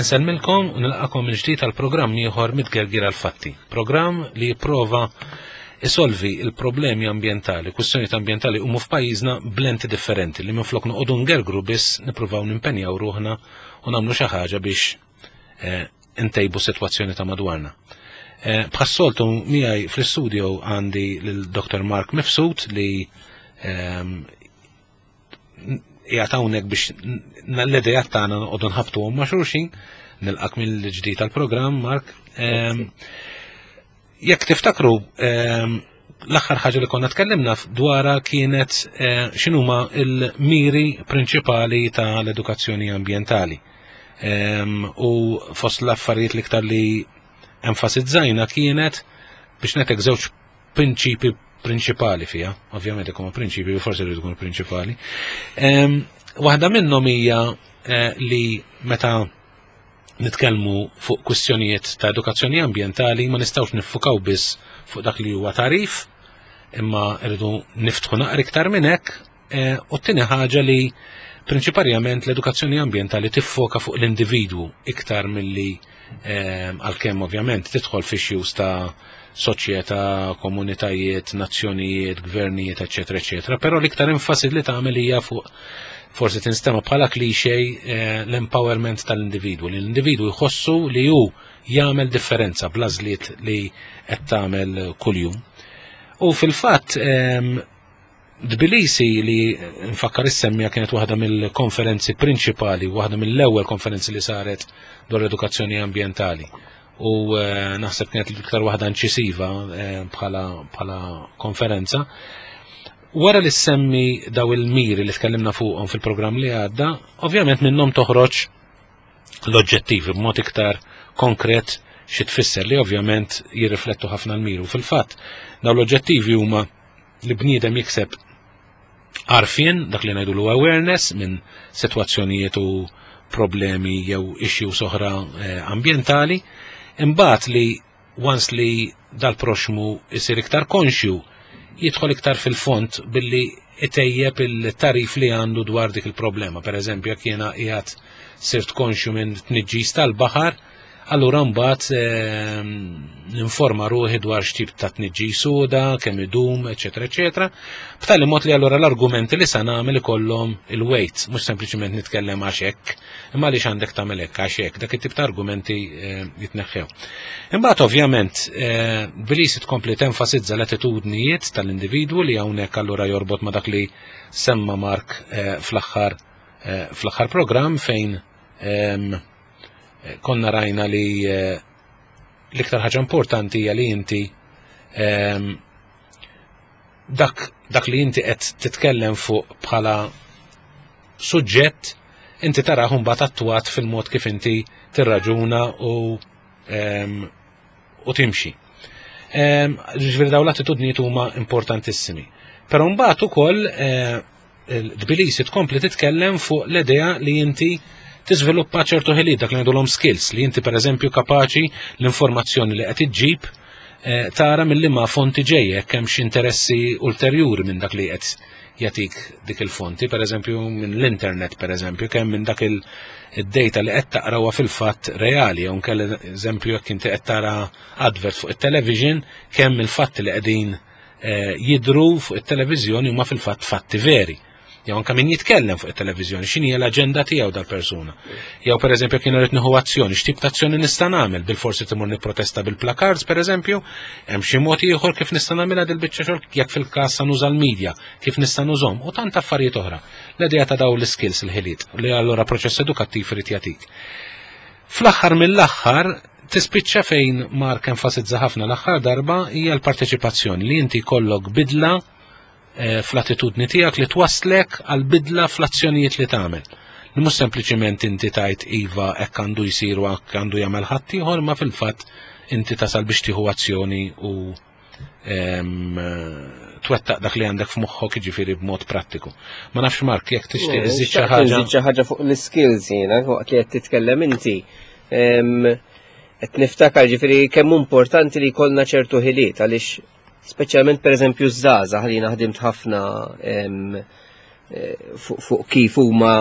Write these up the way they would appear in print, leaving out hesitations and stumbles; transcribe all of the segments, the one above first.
Insellmilkom u nilqakom mill-ġdid għal programm ieħor mitgergir għal fatti. Programm li jipprova isolvi il-problemi ambjentali, kwistjonijiet ambjentali huma f'pajjiżna b'lenti differenti li minflok noqogħdu ngergru biss nippruvaw nimpenjaw ruħna u nagħmlu xi ħaġa biex eh, ntejbu sitwazzjoni ta' madwarna. Eh, bħas-soltu miegħi fl-istudio għandi lil Dr. Mark Mifsud li ehm, qiegħed hawnhekk biex l-idejat tagħna noqogħdu nħabtuhom ma' xulxin, nilqak mill-ġdid tal-programm, Mark. Ehm, jekk tiftakru ehm, l-aħħar ħaġa li konna tkellimna dwarha kienet eh, x'inhuma l-miri prinċipali tal-edukazzjoni ambjentali. Ehm, u fost l-affarijiet l-iktar li enfasizzajna kienet biex netek żewġ prinċipi prinċipali fiha, ovvjament ikunu prinċipi, forsi rridu jkunu prinċipali. Waħda minnhom hija eh, li meta nitkellmu fuq kwistjonijiet ta' edukazzjoni ambjentali ma nistgħux niffukaw biss fuq dak li huwa tarif, imma rridu niftħu naqra iktar minn hekk, eh, u t-tieni ħaġa li prinċiparjament l-edukazzjoni ambjentali tiffoka fuq l-individwu iktar milli eh, għalkemm ovvjament tidħol fi issues ta' soċjetà, komunitajiet, nazzjonijiet, gvernijiet, eċetera, eċetera, però l-iktar enfasi li tagħmel hija fuq forsi tinstema bħala klixe eh, l-empowerment tal-individwu, li l-individwu jħossu li hu jagħmel differenza bl-għażliet li qed tagħmel kuljum. U fil-fatt ehm, Tbilisi li nfakkar issemmija kienet waħda mill-konferenzi prinċipali, waħda mill-ewwel konferenzi li saret dwar l-edukazzjoni ambjentali. U eh, naħseb kienet l-iktar waħda inċisiva eh, bħala, bħala konferenza. Wara li semmi daw il-miri li tkellimna fuqhom fil-programm li għadda, ovvjament minnhom toħroġ l-oġġettivi b'mod iktar konkret xi tfisser li ovvjament jirriflettu ħafna l-miru. Fil-fatt, daw l-oġġettivi huma li bniedem jikseb għarfien, dak li ngħidulu awareness minn sitwazzjonijiet u problemi jew issues oħra eh, ambjentali, imbagħad li once li dal-proxmu isir iktar konxju, jidħol iktar fil-font billi itejjeb il-tarif li għandu dwar dik il-problema. Per eżempju, jekk jiena qiegħed sirt konxju minn tniġġis tal-baħar, Allura mbagħad ehm, ninforma ruħi dwar x'tip ta' tniġġis suda, kemm idum, eċetera, eċetera. B'tali mod li allura l-argumenti li sa nagħmel ikollhom il-weight, mhux sempliċement nitkellem għax hekk, imma għaliex għandek tagħmel hekk għax hekk, dak it-tip ta' argumenti ehm, jitneħħew. Imbagħad ovvjament ehm, Bilisi tkompli tenfasizza l-attitudnijiet tal-individwu li hawnhekk allura jorbot ma' dak li semma Mark eh, fl-aħħar eh, fl-aħħar programm fejn konna rajna li eh, l-iktar ħaġa importanti hija li inti ehm, dak, dak li inti qed titkellem fuq bħala suġġett inti taraħ mbagħad attwat fil-mod kif inti tirraġuna u ehm, u timxi. Ehm, ġifieri dawn l-attitudnijiet huma importantissimi. Però mbagħad ukoll eh, Tbilisi tkompli titkellem fuq l-idea li inti tiżviluppa ċertu ħiliet dak li ngħidulhom skills li inti pereżempju kapaċi l-informazzjoni li qed iġġib eh, tara mill ma fonti ġejja jekk hemm xi interessi ulterjuri minn dak li qed jagħtik dik il-fonti, pereżempju minn l-internet pereżempju, kemm minn dak il-data li qed taqrawha fil-fatt reali, jew nkella eżempju jekk inti qed tara advert fuq it-television, kemm il-fatt li qegħdin Eh, jidru fuq it-televiżjoni huma fil-fatt fatti veri. Jew anke min jitkellem fuq it-televiżjoni, x'inhi l-aġenda tiegħu dal-persuna. Jew pereżempju kien irid nieħu azzjoni, x'tip ta' azzjoni nista' nagħmel, bil-forsi timur nipprotesta bil-placards pereżempju, hemm xi mod ieħor kif nista' nagħmilha dil-biċċa xogħol jekk fil-każ sa nuża l-medja, kif nista' nużhom u tant affarijiet oħra. L-idea ta' dawn l-iskills il-ħiliet li allura proċess edukattiv irid jagħtik. Fl-aħħar mill-aħħar tispiċċa fejn Mark enfasizza ħafna l-aħħar darba hija l-parteċipazzjoni li inti jkollok bidla eh, fl-attitudni tiegħek li twasslek għal bidla fl-azzjonijiet li tagħmel. Li mhux sempliċiment inti tajt iva hekk għandu jsir u hekk għandu jagħmel ħaddieħor, ma fil-fatt inti tasal biex tieħu azzjoni u twettaq dak li għandek f'moħħok jiġifieri b'mod prattiku. Ma nafx Mark, jekk tixtieq iżid xi ħaġa. Iżid xi ħaġa fuq l-skills jiena waqt li qed titkellem inti. Qed niftakar ġifieri kemm importanti li jkollna ċertu ħiliet għaliex speċjalment pereżempju żgħażagħ li jiena ħdimt ħafna. fuq kif huma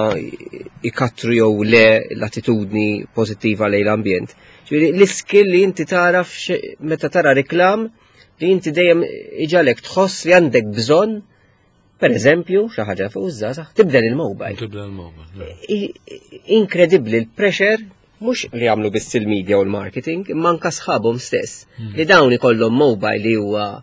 ikattru jew le l-attitudni pożittiva lejn l-ambjent. Ġifieri l-iskill li inti taraf meta tara reklam li inti dejjem iġalek tħoss li għandek bżonn per eżempju, xi ħaġa fuq iż-żgħażagħ, tibdel il-mobile. Tibdel il-mobile. Inkredibbli l-pressure mhux li jagħmlu biss il-media u l-marketing, imma anke sħabhom stess. Li dawn ikollhom mobile li huwa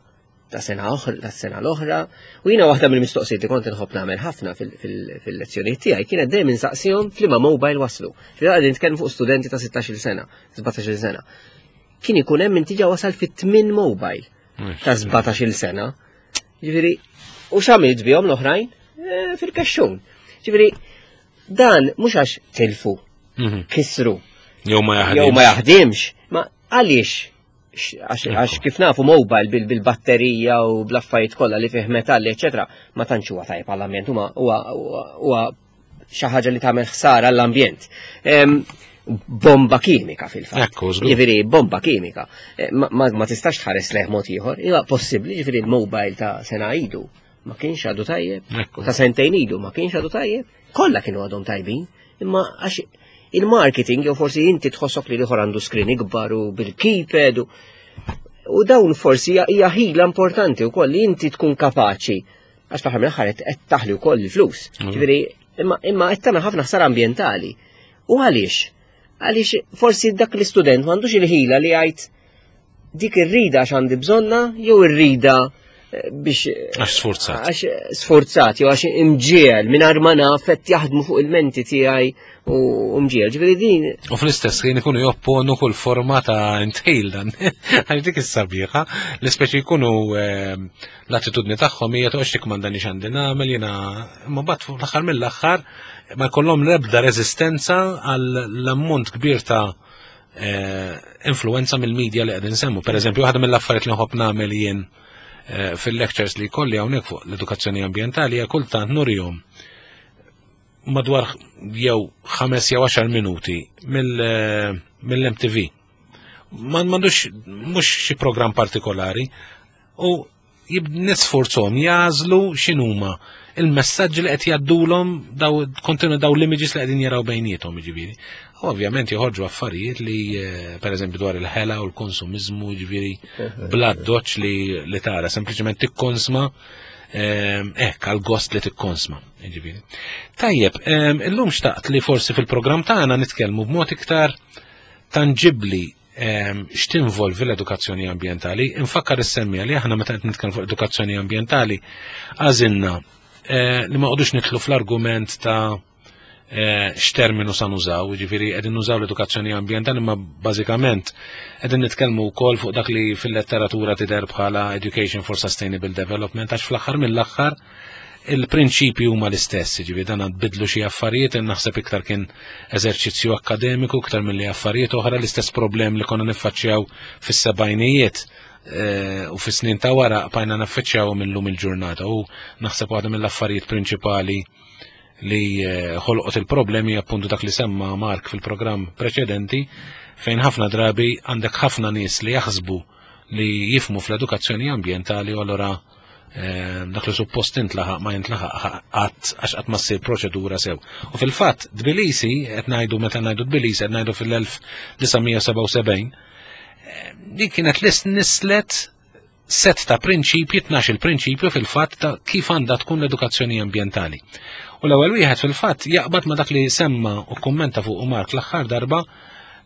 ta' sena oħra, ta' sena l-oħra. U jiena waħda mill-mistoqsijiet li kont inħobb nagħmel ħafna fil-lezzjonijiet tiegħi kienet dejjem insaqsihom f'liema mobile waslu. Fil-qegħdin nitkellmu fuq studenti ta' 16-il sena, 17-il sena. Kien ikun hemm inti ġa wasal fit-tmien mobile ta' 17-il sena. Ġifieri, u x'għamilt bihom l-oħrajn? Fil-kexxun. Ġifieri, dan mhux għax tilfu, kisru. Jew ma jaħdimx. Jew ma jaħdimx, ma għaliex? Għax kif nafu mobile bil-batterija u bl-affarijiet kollha li fih metalli, eċetera, ma tantx huwa tajjeb għall-ambjent, huwa xi ħaġa li tagħmel ħsara għall-ambjent. Bomba kimika fil-fatt. Ekku, żgur. Ġifieri bomba kimika. Ma tistax tħares leh mod ieħor. Huwa possibbli, ġifieri l-mobile ta' sena idu ma kienx għadu tajjeb, ta' sentejn idu ma kienx għadu tajjeb, kollha kienu għadhom tajbin, imma għax il-marketing jew forsi inti tħossok li l-ieħor għandu screen ikbar u bil-keypad u dawn forsi hija ħila importanti wkoll li inti tkun kapaċi għax fl-aħħar mill-aħħar qed taħli wkoll il-flus. Ġifieri imma qed tagħmel ħafna ħsara ambjentali. U għaliex? Għaliex forsi dak l-istudent m'għandux il-ħila li jgħid dik ir-rida għax għandi bżonna jew ir-rida biex Għax sforzat. Għax sforzat jew għax imġiel mingħajr ma naf qed jaħdmu fuq il-menti tiegħi u mġiel. Ġifieri din U fl-istess ħin ikunu jopponu kull forma ta' intħil dan. Għax dik is-sabiħa, l-ispeċi jkunu l-attitudni tagħhom hija toqgħodx tikmandani x'għandi nagħmel jiena, imma mbagħad fl-aħħar mill-aħħar ma jkollhom l-ebda reżistenza għall-ammont kbir ta' influenza mill-medja li qegħdin nsemmu. Per eżempju, waħda mill-affarijiet li nħobb nagħmel jien fil-lectures li jkolli hawnhekk fuq l-edukazzjoni ambjentali hija kultant nurihom madwar jew 5 jew 10 minuti mill-MTV. Ma m'għandux mhux xi programm partikolari u nisforzhom jażlu x'inhuma il-messaġġi li qed jgħaddulhom daw kontinu daw l-images li qegħdin jaraw bejniethom, jiġifieri. U ovvjament joħorġu affarijiet li per eżempju dwar il-ħela u l-konsumiżmu, jiġifieri bla doċ li tara, sempliċement tikkonsma hekk għal gost li tikkonsma, jiġifieri. Tajjeb, illum xtaqt li forsi fil-programm tagħna nitkellmu b'mod iktar tanġibbli x'tinvolvi l-edukazzjoni ambjentali. Infakkar is-semmija li aħna meta qed nitkellmu fuq edukazzjoni ambjentali għażilna li ma qogħdux nidħlu fl-argument ta' x'terminu sa nużaw, jiġifieri qegħdin nużaw l-edukazzjoni ambjentali, imma bażikament qegħdin nitkellmu wkoll fuq dak li fil-letteratura tidher bħala Education for Sustainable Development, għax fl-aħħar mill-aħħar il-prinċipji huma l-istess, jiġifieri dan bidlu xi affarijiet, naħseb iktar kien eżerċizzju akkademiku iktar milli affarijiet oħra, l-istess problem li konna niffaċċjaw fis-sebgħinijiet u fis-snin ta' wara bqajna naffaċċjaw millum il-ġurnata, u naħseb waħda mill-affarijiet prinċipali li ħolqot il-problemi appuntu dak li semma Mark fil-programm preċedenti, fejn ħafna drabi għandek ħafna nies li jaħsbu li jifmu fl-edukazzjoni ambjentali u allura dak li suppost intlaħaq ma jintlaħaq qatt għax qatt ma ssir proċedura sew. U fil-fatt Tbilisi, qed ngħidu meta ngħidu Tbilisi qed ngħidu fil-1977, dik kienet list nislet set ta' prinċipji, tnax il-prinċipju fil-fatt ta' kif għandha tkun l-edukazzjoni ambjentali. U l-ewwel wieħed fil-fatt jaqbad ma' dak li semma u kummenta fuq Mark l-aħħar darba,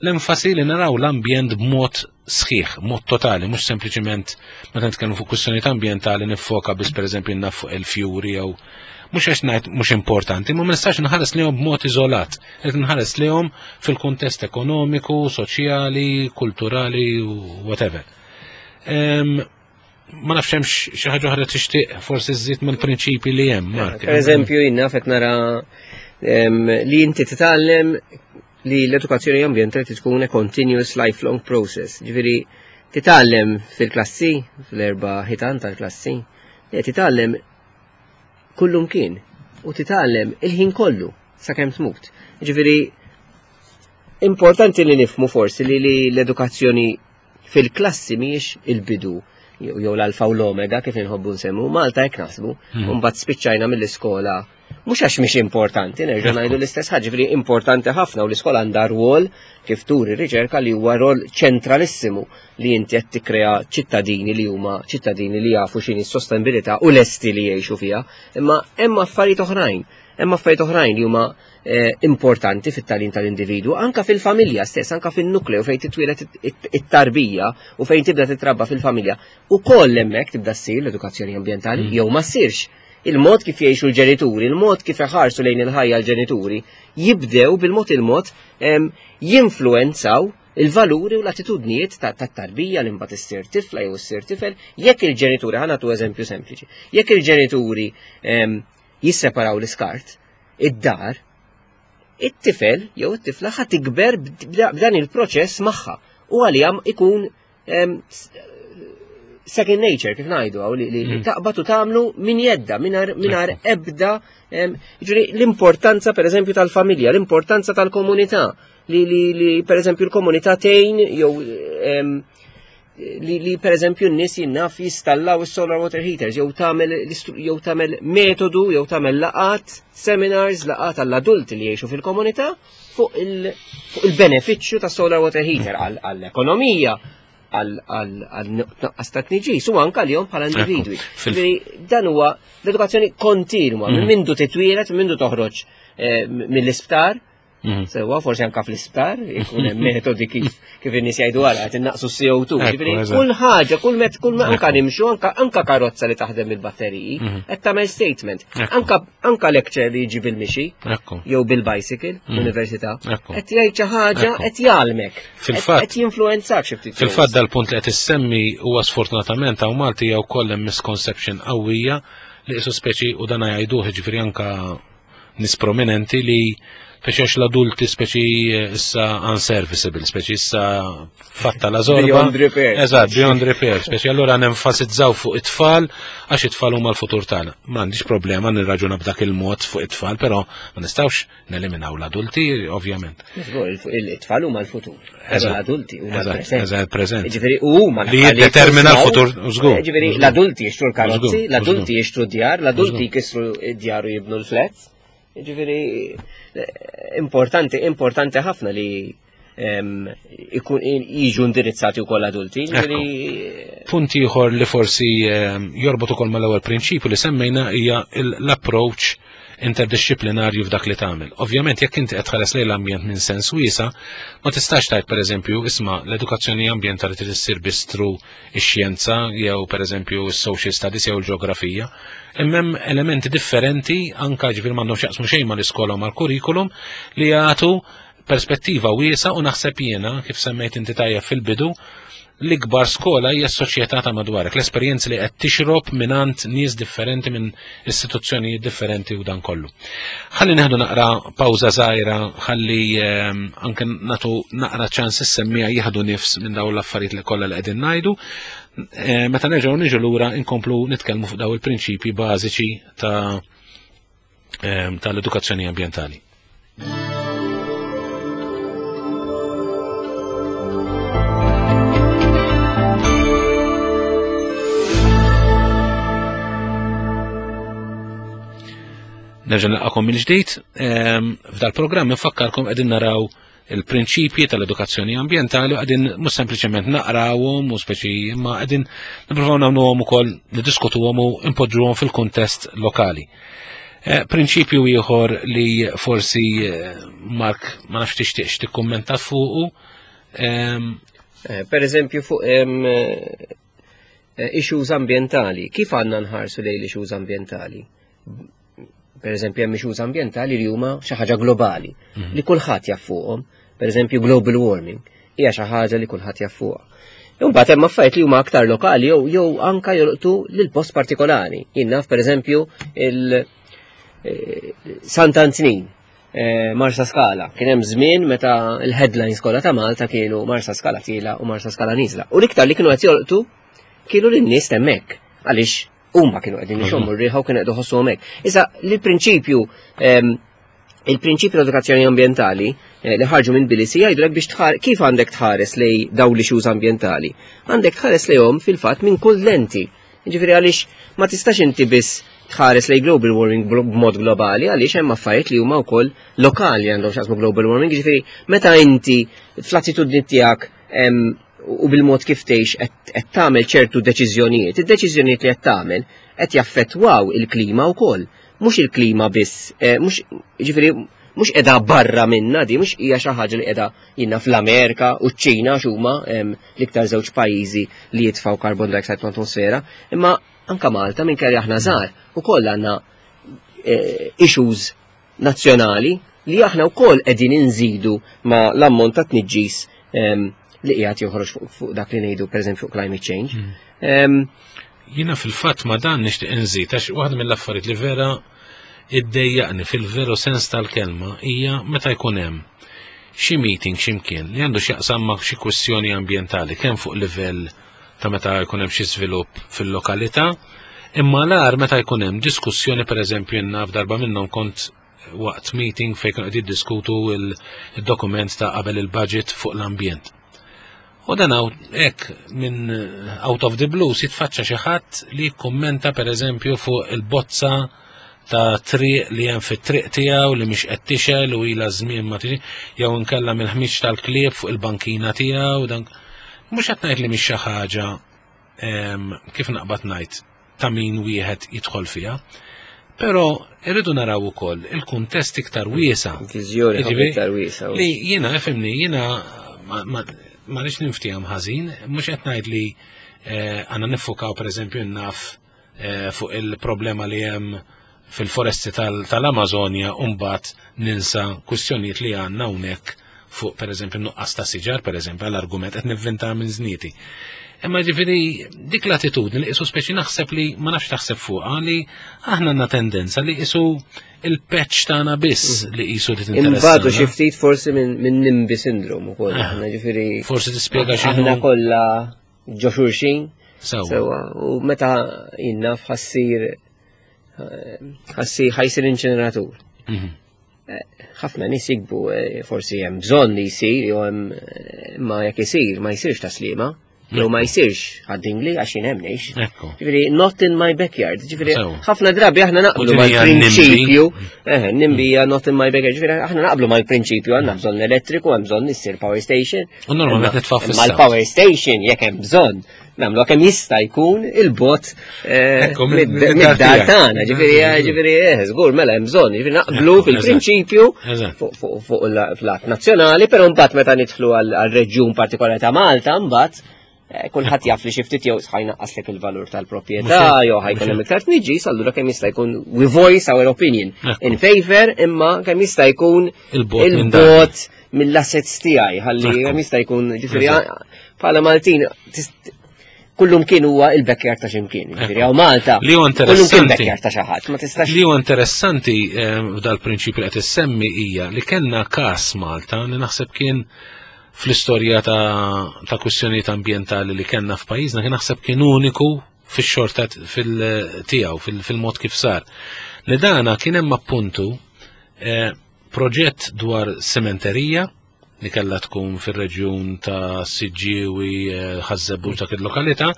l-enfasi li naraw l-ambjent b'mod sħiħ, mod totali, mhux sempliċiment meta nitkellmu fuq kwistjonijiet ambjentali niffoka biss pereżempju naf fuq il-fjuri jew mhux għax ngħid mhux importanti, ma nistax nħares lihom b'mod iżolat, qed nħares lihom fil-kuntest ekonomiku, soċjali, kulturali, whatever. Ma nafx hemm xi ħaġa oħra tixtieq forsi żżid mill-prinċipji li hemm, Mark. Per eżempju, jien naf qed nara li inti titgħallem li l-edukazzjoni ambjentali tkun a continuous lifelong process. Ġifieri titgħallem fil-klassi, fl-erba' ħitan tal-klassi, li titgħallem kullum kien u titgħallem il-ħin kollu sakemm tmut. Ġifieri importanti li nifhmu forsi li l-edukazzjoni fil-klassi mhijiex il-bidu jew l-alfa u l-omega kif inħobbu nsemmu, Malta hekk naħsbu, u mbagħad spiċċajna mill-iskola. Mhux għax mhix importanti, nerġa' ngħidu l-istess ħaġa, ġifieri importanti ħafna u l-iskola għandha rwol kif turi riċerka li huwa rol ċentralissimu li inti qed tikkrea ċittadini li huma ċittadini li jafu x'inhi s-sostenibilità u lesti li jgħixu fiha, imma hemm affarijiet oħrajn, hemm affarijiet oħrajn li huma eh, importanti fit-tagħlim tal-individwu, anka fil-familja stess, anka fin-nukleu fejn titwieled it-tarbija u fejn tibda titrabba fil-familja. Ukoll hemmhekk tibda ssir l-edukazzjoni ambjentali mm. jew ma ssirx il-mod kif jgħixu l-ġenituri, il-mod kif iħarsu lejn il-ħajja l-ġenituri, jibdew bil-mod il-mod jinfluenzaw il-valuri u l-attitudnijiet tat-tarbija li mbagħad issir tifla jew issir tifel, jekk il-ġenituri, ħa nagħtu eżempju sempliċi, jekk il-ġenituri jisseparaw l-iskart, id-dar, it-tifel jew it-tifla ħa tikber b'dan il-proċess magħha u għalija ikun second nature kif ngħidu għaw li mm. taqbad u tagħmlu min jedda mingħajr ebda ġifieri l-importanza pereżempju tal-familja, l-importanza tal-komunità li li li pereżempju l-komunità tgħin jew li, li per eżempju n-nies jinnaf jistallaw is-solar water heaters jew tagħmel jew tagħmel metodu jew tagħmel laqat, seminars, laqat għall-adulti li jgħixu fil-komunità fuq il-benefiċċju ta' solar water heater għall-ekonomija, għal-tnaqqas ta' tniġis u anka li bħala individwi. Dan huwa l-edukazzjoni kontinwa, minn mm. mindu titwielet, minn mindu toħroġ eh, mill-isptar, Mhm. Sewa, forsi anka fl-isptar, ikun hemm metodi kif kif in-nies jgħidu għara qed innaqsu CO2. Ġifieri kull ħaġa, kull met kull anka nimxu anka anka karozza li taħdem il-batteriji, mhm. qed tagħmel statement. Anka anka lecture li jiġi bil-mixi jew bil-bicycle mhm. l-università, qed jgħid xi ħaġa qed jgħalmek. Fil-fatt qed jinfluwenzak xi ftit. Fil-fatt dal-punt li qed issemmi huwa sfortunatament hawn Malti jew kollha misconception qawwija li qisu speċi u dana jgħiduh ġifieri anka nis prominenti li speċi għax l-adulti speċi eh, issa unserviceable, speċi issa fatta la zorba. Beyond repair. Eżatt, beyond repair. Speċi allura nenfasizzaw fuq it-tfal għax it-tfal huma l-futur tagħna. M'għandix problema nirraġuna b'dak il-mod fuq it-tfal, però ma nistgħux neliminaw l-adulti, ovvjament. It-tfal huma l-futur. L-adulti huma l-preżent. Eżatt, preżent. Ġifieri huma li jiddetermina l-futur, żgur. Ġifieri l-adulti jixtru l-karozzi, l-adulti jixtru d-djar, l-adulti jkissru d-djar u jibnu l-flats. Ġifieri importanti, importanti ħafna li jiġu indirizzati wkoll adulti. Punt ieħor li forsi jorbot ukoll mal-ewwel prinċipju li semmejna hija l-approach interdixxiplinarju f'dak li tagħmel. Ovvjament jekk inti qed tħares lejn l-ambjent minn sens wiesa, ma tistax tgħid pereżempju isma' l-edukazzjoni ambjentali trid issir biss through ix-xjenza jew pereżempju s-social studies jew il-ġeografija. Imma hemm elementi differenti anke ġifier m'għandhom x'jaqsmu xejn mal-iskola u mal-kurrikulum li jagħtu perspettiva wiesa u naħseb jiena kif semmejt inti tajjeb fil-bidu l-ikbar skola hija s-soċjetà ta' madwarek, l-esperjenzi li qed tixrob mingħand nies differenti minn istituzzjonijiet differenti u dan kollu. Ħalli neħdu naqra pawża żgħira, ħalli ehm, anke nagħtu naqra ċans is-semmija jieħdu nifs minn dawn l-affarijiet li kollha li qegħdin ngħidu. Eh, meta nerġgħu niġu lura inkomplu nitkellmu fuq dawn il-prinċipji bażiċi ta' ehm, tal-edukazzjoni ambjentali. Nerġa' nilqakom mill-ġdid, ehm, f'dal-programm infakkarkom qegħdin naraw il-prinċipji tal-edukazzjoni ambjentali u qegħdin mhux sempliċement naqrawhom u speċi imma qegħdin nippruvaw nagħmluhom ukoll niddiskutuhom u npoġġuhom fil-kuntest lokali. Eh, prinċipju ieħor li forsi eh, Mark ma nafx tixtieqx tikkummenta fuqu. Ehm, eh, per eżempju fuq ehm, issues ambientali, kif għandna nħarsu lejn issues ambientali? Per eżempju hemm issues ambientali li huma xi ħaġa globali mhm. li kulħadd jaf fuqhom. Per eżempju global warming hija xi ħaġa li kulħadd jaf fuqha. Imbagħad hemm affarijiet li huma aktar lokali jew jew anka jolqtu lil post partikolari. Jien naf pereżempju il eh, Sant'Antnin, eh, Marsa Skala. Kien hemm żmien meta l-headlines kollha ta' Malta kienu Marsa Skala tiela u Marsa Skala niżla. U l-iktar li kienu qed jolqtu kienu lin-nies hemmhekk għaliex huma kienu qegħdin ixommu r-riħa u kienu qed iħossuhom hekk. Issa l-prinċipju ehm, il-prinċipju tal-edukazzjoni ambjentali eh, li ħarġu minn Bilisi jgħidulek biex tħar kif għandek tħares lej dawn l-issues ambjentali. Għandek tħares lejhom fil-fatt minn kull lenti. Jiġifieri għaliex ma tistax inti biss tħares lejn global warming b'mod globali għaliex hemm affarijiet li huma wkoll lokali għandhom x'jaqsmu global warming, jiġifieri meta inti fl-attitudni tiegħek u bil-mod kif tgħix qed tagħmel ċertu deċiżjonijiet, id-deċiżjonijiet li qed tagħmel qed jaffettwaw il-klima wkoll. Mhux il-klima biss, eh, mhux jiġifieri mhux qiegħda barra minna di, mhux hija xi ħaġa li qiegħda jiena fl-Amerika u ċ-Ċina x'huma l-iktar żewġ pajjiżi li jitfgħu carbon dioxide fl-atmosfera, imma anka Malta minn kelli aħna żgħar ukoll għandna eh, issues nazzjonali li aħna wkoll qegħdin inżidu ma l-ammont ta' tniġġis li qiegħed joħroġ fuq dak li ngħidu pereżempju fuq climate change. Hmm. Jiena fil-fatt ma dan nixtieq inżid għax waħda mill-affarijiet li vera iddejjaqni fil-veru sens tal-kelma hija meta jkun hemm xi meeting x'imkien li għandu x'jaqsam ma' xi kwistjoni ambjentali kemm fuq livell ta' meta jkun hemm xi żvilupp fil-lokalità, imma l-agħar meta jkun hemm diskussjoni pereżempju naf darba minnhom kont waqt meeting fejn kienu qed jiddiskutu il-dokument ta' qabel il-budget fuq l-ambjent. U dan hekk minn out of the blue jitfaċċa xi ħadd li jikkummenta pereżempju fuq il-bozza ta' triq li hemm fit-triq tiegħu li mhix qed tixel u ilha żmien ma tiġi jew inkella mill-ħmiġ tal-klieb fuq il-bankina tiegħu dan mhux qed ngħid li mhix xi ħaġa kif naqbad ngħid ta' min wieħed jidħol fiha. Però irridu naraw ukoll il-kuntest iktar wiesa. Viżjoni iktar wiesa. Li jiena fimni, jiena ma rridx ninftihom ħażin, mhux qed ngħid li eh, għandna niffukaw pereżempju naf eh, fuq il-problema li hemm fil-foresti tal-Amazonja u mbagħad ninsa kwistjonijiet li għandna hawnhekk fuq pereżempju nuqqas ta' siġar pereżempju għall-argument qed nivvinta minn żnieti. Imma ġifieri dik l-attitudni li qisu speċi naħseb li ma nafx taħseb fuqha li aħna għandna tendenza li qisu il-patch tagħna biss mm. li qisu li tinteressa. Imbagħadu xi ftit forsi minn nimbi syndrome ukoll ah. aħna ġifieri. Forsi tispjega xi Aħna kollha ġo xulxin. Sewa. U meta jinnaf ħassir ħassi ħajsir inċineratur. Mhm. Eh, ħafna nies jikbu eh, forsi hemm bżonn li jsir jew hemm eh, ma jekk isir ma jsirx taslima. Jew ma jsirx għaddingli għax jien hemm ngħix. Ġifieri not in my backyard. Ġifieri ħafna drabi aħna naqblu mal-prinċipju, eh nimbija not in my backyard. Ġifieri aħna naqblu mal-prinċipju għandna bżonn elettriku, hemm bżonn issir power station. U normalment nitfa' fis Mal-power station jekk hemm bżonn Namlu kemm jista' jkun il-bot eh, mid-dar tagħna, ġifieri eh, ġifieri eh, żgur mela hemm bżonn, ġifieri naqblu fil-prinċipju fuq l-att nazzjonali, però mbagħad meta nidħlu għal-reġjun partikolari ta' Malta mbagħad kulħadd jaf li xi ftit jew ħajnaqqaslek il-valur tal-proprjetà jew ħajkun hemm iktar tniġġis, allura kemm jista' jkun we voice our opinion in favor imma kemm jista' jkun il-bot mill-assets tiegħi ħalli kemm jista' jkun ġifieri bħala Maltin kullum kien huwa il-backyard ta' ximkien. Ġifieri hawn Malta. Li huwa interessanti. Kullum kien backyard ta' xi ħadd, ma tistax. Li huwa interessanti eh, f'dal-prinċipju li qed issemmi hija li kellna każ Malta li naħseb kien fl-istorja ta', ta kwistjonijiet ambjentali li kellna f'pajjiżna kien naħseb kien uniku fix-xorta fil-tiegħu fil-mod kif sar. Li dana kien hemm appuntu eh, Proġett dwar sementerija li kellha tkun fir-reġjun ta' Siġġiewi, eh, Ħaż-Żebbuġ dak il-lokalità.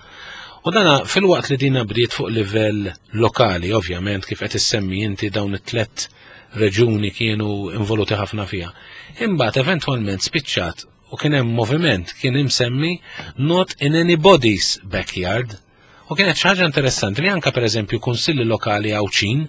U dana filwaqt li dina bdiet fuq livell lokali, ovvjament kif qed issemmi inti dawn it-tlet reġuni kienu involuti ħafna fiha. Imbagħad eventwalment spiċċat u kien hemm moviment kien imsemmi Not in anybody's backyard. U kienet xi ħaġa interessanti li anka pereżempju kunsilli lokali Għawdxin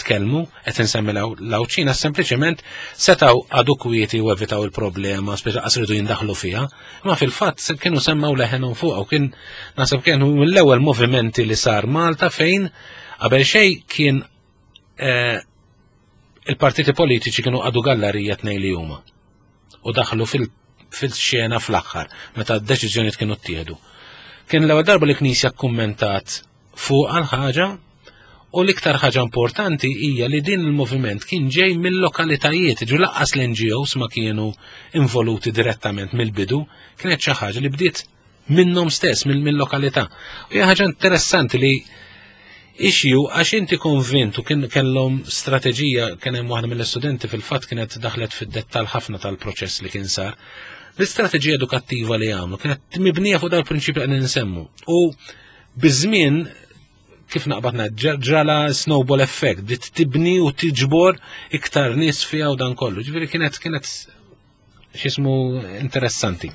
tkellmu, qed insemmi l-Għawdxin għax sempliċement setgħu għadu kwieti u evitaw il-problema, speċa qas ridu jindaħlu fiha, imma fil-fatt kienu semmaw leħenhom fuq u kien naħseb kienu mill-ewwel movimenti li sar Malta fejn qabel xejn kien eh, il-partiti politiċi kienu għadu gallarija tnej li huma u daħlu fil-xena fl-aħħar meta d-deċiżjonijiet kienu ttieħdu. Kien l-ewwel darba li Knisja kkummentat fuq għal ħaġa u l-iktar ħaġa importanti hija li din il-moviment kien ġej mill-lokalitajiet, ġu laqqas l-NGOs ma kienu involuti direttament mill-bidu, kienet xi ħaġa li bdiet minnhom stess, mill-lokalità. U hija ħaġa interessanti li issue għax inti konvint u kien kellhom strateġija kien hemm waħda mill-istudenti fil-fatt kienet daħlet fid-dettall ħafna tal-proċess li kien sar. L-istrateġija edukattiva li għamlu kienet mibnija fuq dal-prinċipju qed nsemmu. U biż-żmien Kif naqbad ngħid, ġrala snowball effect, bdiet tibni u tiġbor iktar nies fiha u dan kollu. Ġifieri kienet kienet x'ismu interessanti.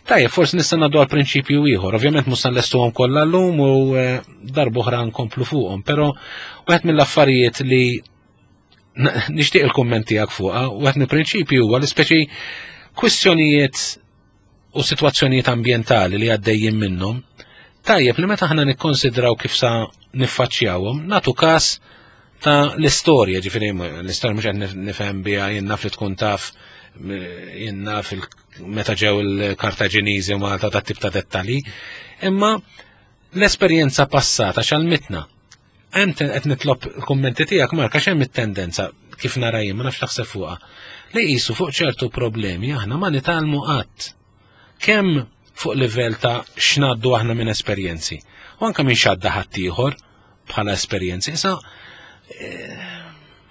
Tajjeb, forsi nista' ngħaddu għal prinċipju ieħor. Ovvjament mhux se nlestuhom kollha llum u eh, darb'oħra nkomplu fuqhom, però wieħed mill-affarijiet li nixtieq il-kumment tiegħek fuqha, wieħed mill-prinċipju huwa li speċi kwistjonijiet u sitwazzjonijiet ambjentali li għaddejjin minnhom, tajjeb li meta aħna nikkonsidraw kif sa niffaċċjawhom, nagħtu każ ta' l-istorja, ġifieri l-istorja mhux qed nifhem biha jien naf li tkun taf jien naf meta ġew il-Kartaġiniżi u Malta ta' tip ta' dettalji, imma l-esperjenza passata x'għalmitna. Hemm qed nitlob il-kummenti tiegħek Mark għax hemm it-tendenza kif nara jien ma nafx taħseb fuqha li qisu fuq ċertu problemi aħna ma nitgħallmu qatt. Kemm fuq livell ta' x'ngħaddu aħna minn esperjenzi u anke minn x'għadda ħaddieħor bħala esperjenzi. Issa eh,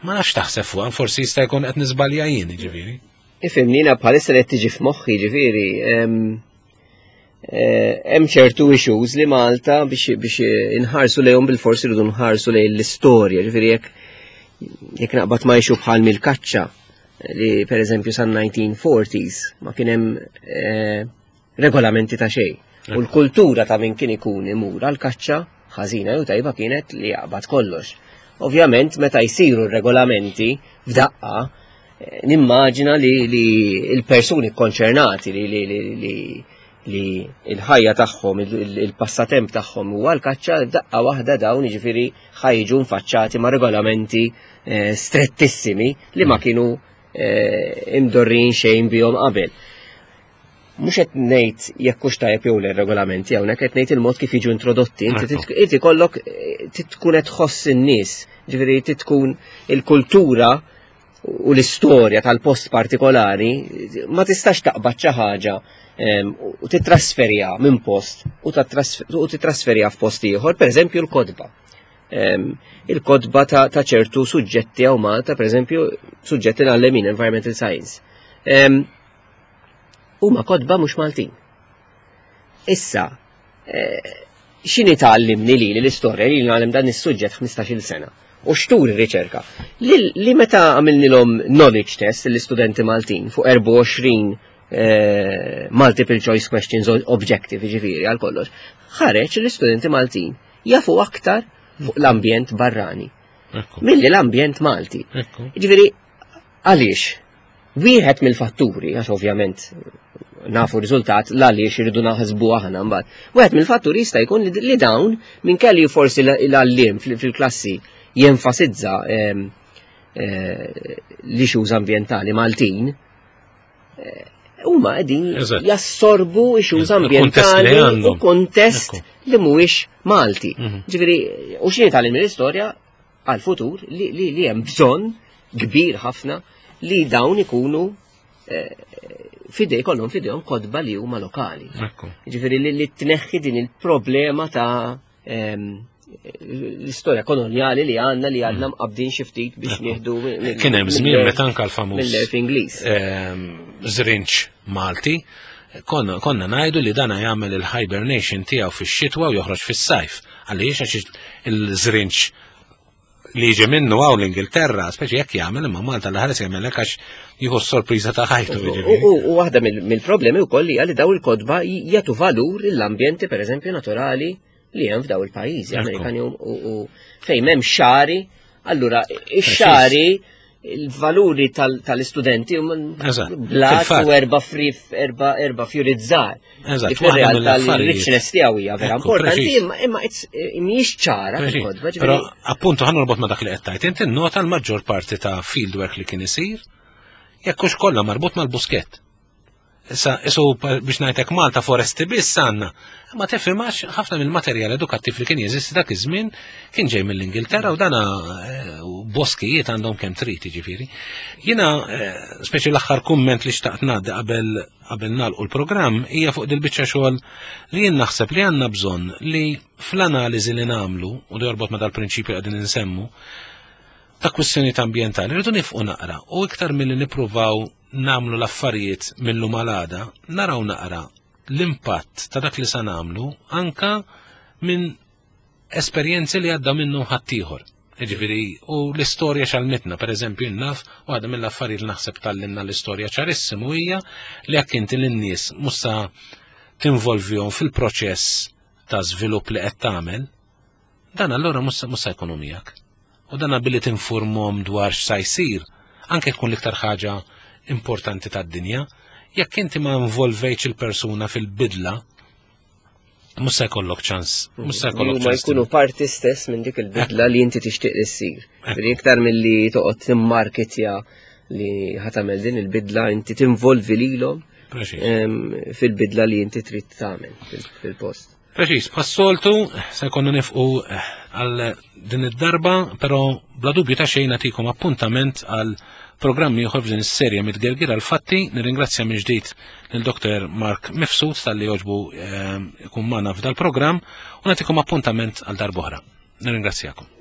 ma nafx taħseb fuqha, forsi jista' jkun qed niżbalja jien, ġifieri. Ifhimni jiena bħalissa li qed tiġi f'moħħi ġifieri Eh, hemm ċertu issues li Malta biex biex inħarsu lejhom bil-forsi rridu nħarsu lejn l-istorja, ġifieri jekk jekk naqbad ma issue bħal mill-kaċċa li per eżempju san 1940s ma kien hemm eh, regolamenti ta' xejn. U l-kultura ta' min kien ikun imur għal kaċċa ħażina jew tajba kienet li jaqbad kollox. Ovvjament meta jsiru r-regolamenti f'daqqa eh, nimmaġina li, li l-persuni konċernati li, li, li, li li l-ħajja tagħhom, il-passatemp tagħhom huwa l-kaċċa, daqqa waħda dawn jiġifieri ħajġu nfaċċati ma' regolamenti eh, strettissimi li ma kienu eh, imdorrin xejn bihom qabel. Mhux qed ngħid jekk hux tajjeb jew le regolamenti hawnhekk qed ngħid il-mod kif jiġu introdotti. Inti kollok eh, tkun qed tħoss in-nies, ġifieri tkun il-kultura u l-istorja tal-post partikolari ma tistax taqbad xi ħaġa u titrasferija minn post u titrasferija f'post ieħor, pereżempju l-kotba. Il-kotba ta' ċertu suġġetti hawn Malta, pereżempju suġġetti ngħallem environmental science. Huma kotba mhux Maltin. Issa, eh, x'inhi tgħallimni li l-istorja li ngħallem dan is-suġġett 15-il sena u x'turi r-riċerka. Li, meta għamilnilhom knowledge test l-istudenti Maltin fuq 24 eh, multiple choice questions objective ġifieri għal kollox, ħareġ l-istudenti Maltin jafu aktar fuq l-ambjent barrani milli l-ambjent Malti. Ġifieri għaliex? Wieħed mill-fatturi, għax ovvjament nafu riżultat l-għaliex irridu naħsbu aħna mbagħad. Wieħed mill-fatturi jista' jkun li dawn minn kelli forsi l-għalliem fil-klassi jenfasizza ehm, eh, l-issues ambjentali Maltin, eh, huma qegħdin jassorbu issues ambjentali u kontest li mhuwiex Malti. Mhm. Ġifieri, u x'inhi tagħlim mill-istorja għal-futur li, li, li hemm bżonn kbir ħafna li dawn ikunu eh, fidej kollhom fidejhom kotba li huma lokali. Ġifieri li, li tneħħi din il-problema ta' ehm, l-istorja koloniali li għandna li għandna mm. mqabdin xi ftit biex nieħdu. Kien hemm żmien meta anke l-famuż mill-erf Ingliż. Ehm, Żrinċ Malti konna, konna ngħidu li dana jagħmel il-hibernation tiegħu fix-xitwa u joħroġ fis-sajf. Għaliex għax il-żrinċ li jiġi minnu għaw l-Ingilterra, speċi jekk jagħmel imma Malta l ħares jagħmel hekk għax jieħu s-sorpriża ta' ħajtu. U waħda mill-problemi wkoll hija li daw il-kotba jagħtu valur l-ambjenti pereżempju naturali li hemm f'daw il-pajjiżi Amerikani u fejn hemm xari, allura ix-xari il-valuri tal-istudenti blat u erba frif, erba erba fjurid żgħar. Eżatt, fir-realtà l-richness tiegħu hija vera importanti, imma eh, mhijiex ċara fil-kodba. Però appuntu ħa norbot ma' dak li qed tgħid, inti nota l-maġġor parti ta' fieldwork li kien isir jekk hux kollha marbut mal-buskett. Issa, isu biex ngħidlek Malta foresti biss għandna. Ma tifhimax ħafna mill-materjal edukattiv li kien jeżisti dak iż-żmien kien ġej mill-Ingilterra u dana eh, boskijiet għandhom kemm trid jiġifieri. Jiena eh, speċi l-aħħar kumment li xtaqt ngħaddi qabel qabel nagħlqu l-programm hija fuq dil-biċċa xogħol li jien naħseb li għandna bżonn li fl-analiżi li nagħmlu u li jorbot ma dal-prinċipju qegħdin insemmu ta' kwistjonijiet ambjentali rridu nifqu naqra u iktar milli nippruvaw nagħmlu l-affarijiet mil-lum għal għada, naraw naqra l-impatt ta' dak li sa nagħmlu anka minn esperjenzi li għadda minnhom ħaddieħor. Jiġifieri, u l-istorja x'għallmitna, pereżempju naf, waħda mill-affarijiet li naħseb tgħallimna l-istorja ċarissimu hija li jekk inti lin-nies mhux sa tinvolvihom fil-proċess ta' żvilupp li qed tagħmel, dan allura mhux sa jkunu miegħek. U dan billi tinformhom dwar x'sa jsir, anke tkun l-iktar ħaġa importanti tad-dinja, jekk inti ma involvejtx il-persuna fil-bidla, mhux se jkollok ċans, mhux se jkollok ċans. Ma jkunu parti stess minn dik il-bidla li inti tixtieq li ssir. Iktar milli toqgħod timmarketja li ħatamel din il-bidla inti tinvolvi lilhom fil-bidla li inti trid tagħmel fil-post. Preċis, bħas-soltu se jkollna nifqu eh, għal din id-darba, però bla dubju ta' xejn nagħtikom appuntament għal programmi ieħor f'din is-serje mitgergir għal fatti. Nirringrazzja minn ġdid lil Dr. Mark Mifsud talli jogħġbu eh, ikun magħna f'dal-programm u nagħtikom appuntament għal darb'oħra. Nirringrazzjakom.